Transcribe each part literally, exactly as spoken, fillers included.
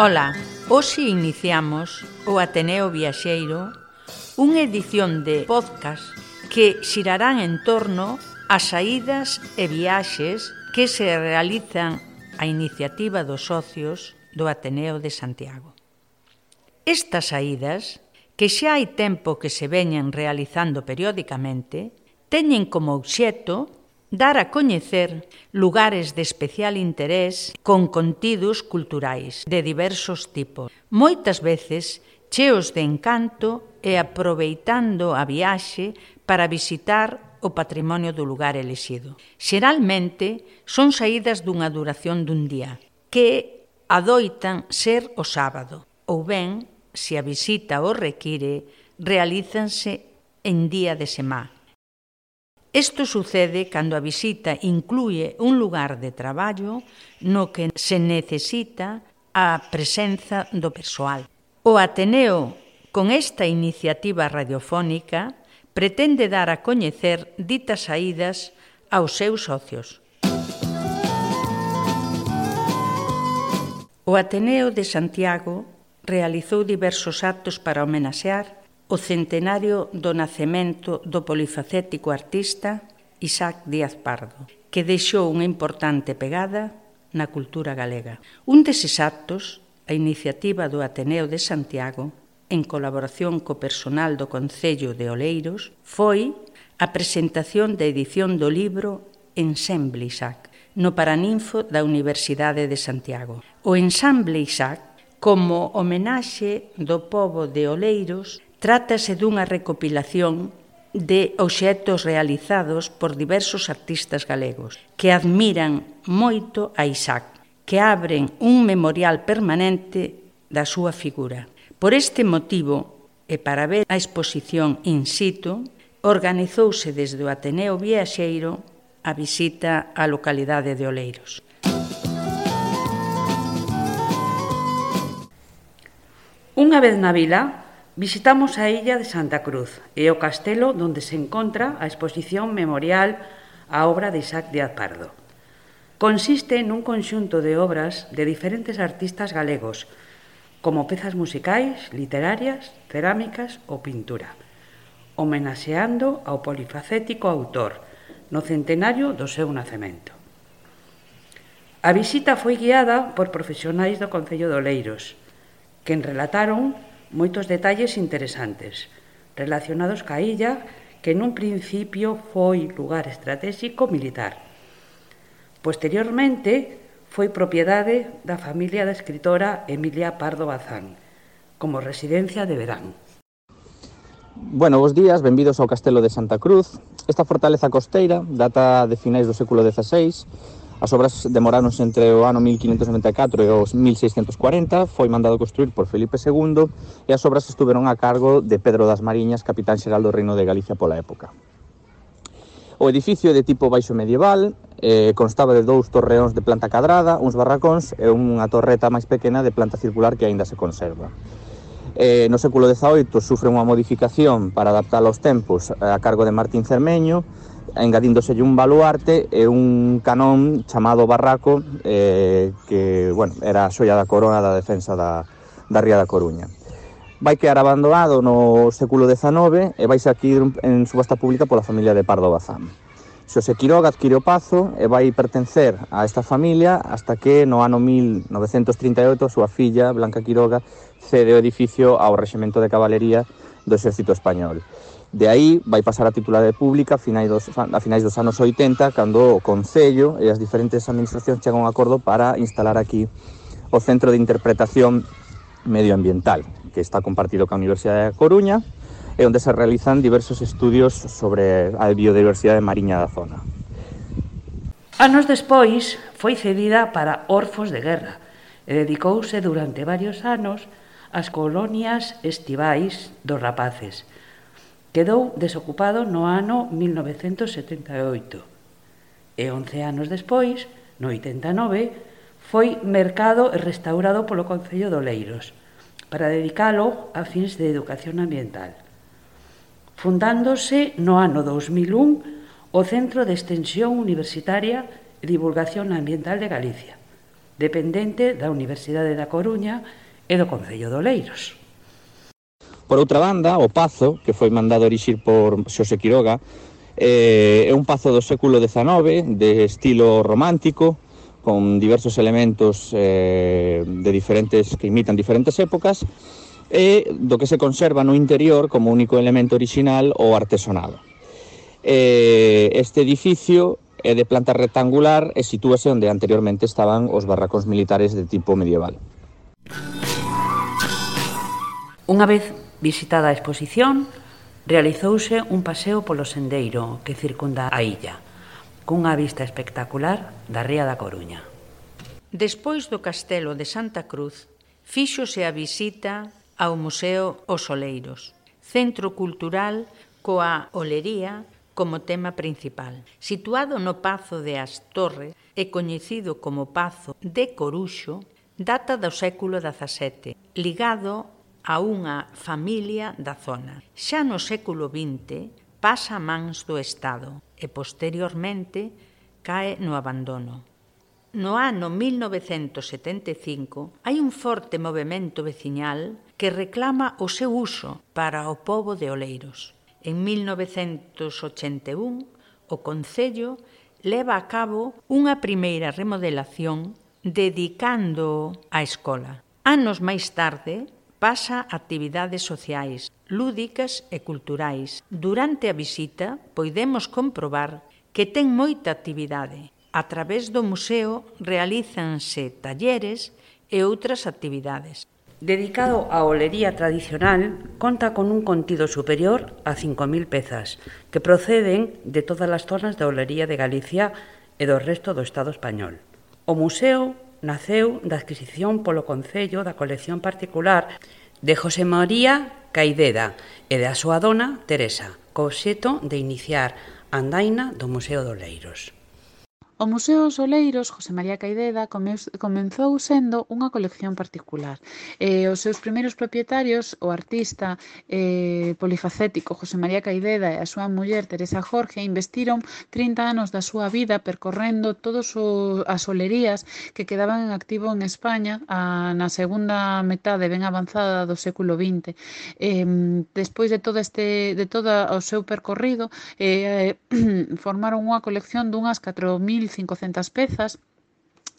Ola, hoxe iniciamos o Ateneo Viaxeiro, unha edición de podcast que xirarán en torno ás saídas e viaxes que se realizan a iniciativa dos socios do Ateneo de Santiago. Estas saídas, que xa hai tempo que se veñen realizando periódicamente, teñen como obxecto dar a coñecer lugares de especial interés con contidos culturais de diversos tipos, moitas veces cheos de encanto e aproveitando a viaxe para visitar o patrimonio do lugar elixido. Xeralmente son saídas dunha duración dun día, que adoitan ser o sábado, ou ben, se a visita o require, realízanse en día de semana. Isto sucede cando a visita inclúe un lugar de traballo no que se necesita a presenza do persoal. O Ateneo, con esta iniciativa radiofónica, pretende dar a coñecer ditas saídas aos seus socios. O Ateneo de Santiago realizou diversos actos para homenaxear o centenario do nacemento do polifacético artista Isaac Díaz Pardo, que deixou unha importante pegada na cultura galega. Un deses actos, a iniciativa do Ateneo de Santiago, en colaboración co personal do Concello de Oleiros, foi a presentación da edición do libro Ensemble Isaac, no Paraninfo da Universidade de Santiago. O Ensemble Isaac, como homenaxe do pobo de Oleiros, trátase dunha recopilación de obxectos realizados por diversos artistas galegos que admiran moito a Isaac, que abren un memorial permanente da súa figura. Por este motivo, e para ver a exposición in situ, organizouse desde o Ateneo Viaxeiro a visita á localidade de Oleiros. Unha vez na vila, visitamos a illa de Santa Cruz e o castelo onde se encontra a exposición memorial á obra de Isaac Díaz Pardo. Consiste nun conxunto de obras de diferentes artistas galegos, como pezas musicais, literarias, cerámicas ou pintura, homenaxeando ao polifacético autor no centenario do seu nacemento. A visita foi guiada por profesionais do Concello de Oleiros, que relataron moitos detalles interesantes relacionados ca illa que nun principio foi lugar estratégico militar. Posteriormente foi propiedade da familia da escritora Emilia Pardo Bazán, como residencia de verán. Bueno, bos días, benvidos ao Castelo de Santa Cruz. Esta fortaleza costeira data de finais do século dezaseis. As obras demoráronse entre o ano mil quinhentos noventa e catro e os mil seiscentos cuarenta, foi mandado construir por Felipe segundo e as obras estuveron a cargo de Pedro das Mariñas, capitán xeral do Reino de Galicia pola época. O edificio é de tipo baixo medieval, eh, constaba de dous torreóns de planta cadrada, uns barracóns e unha torreta máis pequena de planta circular que aínda se conserva. Eh, no século dezaoito sufre unha modificación para adaptar aos tempos a cargo de Martín Cermeño, engadíndoselle un baluarte e un canón chamado Barraco, eh, que, bueno, era a xoia da corona da defensa da, da Ría da Coruña. Vai quedar abandonado no século dezanove e vai aquí en subasta pública pola familia de Pardo Bazán. Xosé Quiroga adquire o pazo e vai pertencer a esta familia hasta que no ano mil novecentos trinta e oito a súa filla, Blanca Quiroga, cede o edificio ao Rexemento de Cabalería do Exército Español. De aí vai pasar a titularidade pública a finais dos, a finais dos anos oitenta, cando o Concello e as diferentes administracións chegan a un acordo para instalar aquí o Centro de Interpretación Medioambiental, que está compartido ca Universidade da Coruña e onde se realizan diversos estudios sobre a biodiversidade mariña da zona. Anos despois foi cedida para orfos de guerra e dedicouse durante varios anos ás colonias estivais dos rapaces. Quedou desocupado no ano mil novecentos setenta e oito e once anos despois, no oitenta e nove, foi mercado e restaurado polo Concello de Oleiros para dedicalo a fins de educación ambiental, fundándose no ano dous mil un o Centro de Extensión Universitaria e Divulgación Ambiental de Galicia, dependente da Universidade da Coruña e do Concello de Oleiros. Por outra banda, o Pazo, que foi mandado erixir por Xosé Quiroga, eh, é un pazo do século dezanove, de estilo romántico, con diversos elementos eh, de diferentes que imitan diferentes épocas, e do que se conserva no interior como único elemento orixinal o artesonado. Eh, este edificio é de planta rectangular e sitúase onde anteriormente estaban os barracóns militares de tipo medieval. Unha vez visitada a exposición, realizouse un paseo polo sendeiro que circunda a illa, cunha vista espectacular da ría da Coruña. Despois do castelo de Santa Cruz, fíxose a visita ao Museo Os Oleiros, centro cultural coa olería como tema principal. Situado no Pazo de As Torres e coñecido como Pazo de Coruxo, data do século dezasete, ligado a unha familia da zona. Xa no século vinte pasa a mans do Estado e posteriormente cae no abandono. No ano mil novecentos setenta e cinco hai un forte movemento veciñal que reclama o seu uso para o pobo de Oleiros. En mil novecentos ochenta e un, o Concello leva a cabo unha primeira remodelación dedicando á escola. Anos máis tarde, pasa a actividades sociais, lúdicas e culturais. Durante a visita, podemos comprobar que ten moita actividade. A través do museo realízanse talleres e outras actividades. Dedicado á olería tradicional, conta con un contido superior a cinco mil pezas, que proceden de todas as zonas da olería de Galicia e do resto do Estado español. O museo naceu da adquisición polo Concello da colección particular de José María Caideda e da súa dona Teresa, co obxecto de iniciar a andaina do Museo de Oleiros. O Museo Os Oleiros, José María Caideda, comenzou sendo unha colección particular. Eh, os seus primeiros propietarios, o artista eh, polifacético José María Caideda e a súa muller Teresa Jorge, investiron trinta anos da súa vida percorrendo todas as olerías que quedaban en activo en España a, na segunda metade ben avanzada do século vinte. Eh, despois de todo, este, de todo o seu percorrido, eh, formaron unha colección dunhas catro mil cincocentas pezas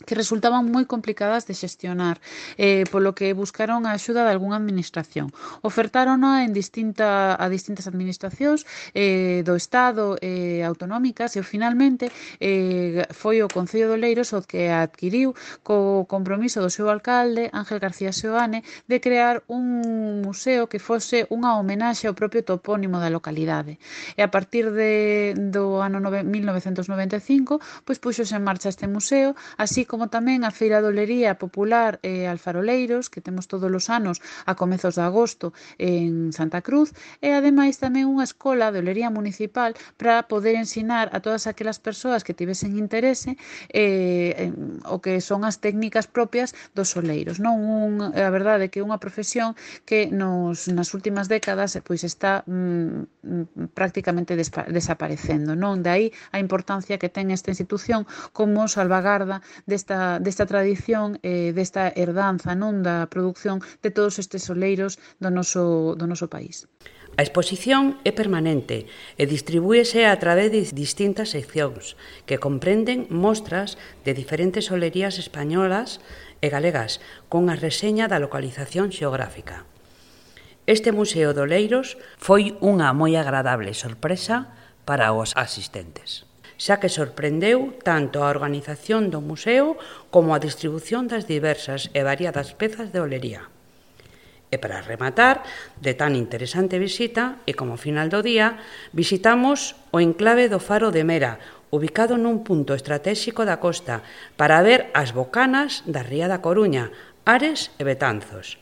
que resultaban moi complicadas de xestionar, eh, polo que buscaron a axuda de algunha administración. Ofertárona en distinta, a distintas administracións eh, do Estado e eh, autonómicas e finalmente eh, foi o Concello de Oleiros o que adquiriu co compromiso do seu alcalde, Ángel García Seoane, de crear un museo que fose unha homenaxe ao propio topónimo da localidade. E a partir de, do ano mil novecentos noventa e cinco, pois puxose en marcha este museo, así como tamén a Feira de Olería Popular e Alfaroleiros, que temos todos os anos a comezos de agosto en Santa Cruz, e ademais tamén unha escola de olería municipal para poder ensinar a todas aquelas persoas que tivesen interese eh, o que son as técnicas propias dos oleiros. Non un, a verdade é que é unha profesión que nos, nas últimas décadas pois está mm, prácticamente despa, desaparecendo. Non? De aí a importancia que ten esta institución como salvagarda desta, desta tradición, eh, desta herdanza, non, da produción de todos estes oleiros do noso, do noso país. A exposición é permanente e distribúese a través de distintas seccións que comprenden mostras de diferentes olerías españolas e galegas cunha reseña da localización xeográfica. Este Museo de Oleiros foi unha moi agradable sorpresa para os asistentes, xa que sorprendeu tanto a organización do museo como a distribución das diversas e variadas pezas de olería. E para rematar de tan interesante visita, e como final do día, visitamos o enclave do Faro de Mera, ubicado nun punto estratéxico da costa, para ver as bocanas da ría da Coruña, Ares e Betanzos.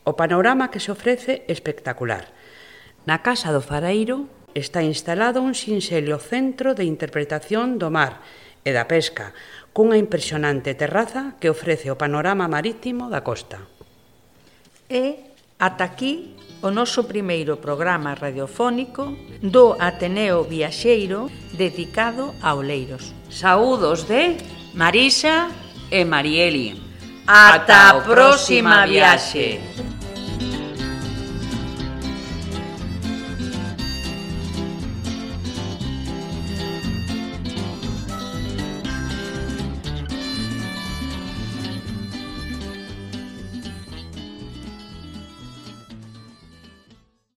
O panorama que se ofrece é espectacular. Na Casa do Faraeiro está instalado un sinxelo centro de interpretación do mar e da pesca, cunha impresionante terraza que ofrece o panorama marítimo da costa. E ata aquí o noso primeiro programa radiofónico do Ateneo Viaxeiro dedicado a Oleiros. Saúdos de Marisa e Marieli. Ata a próxima viaxe.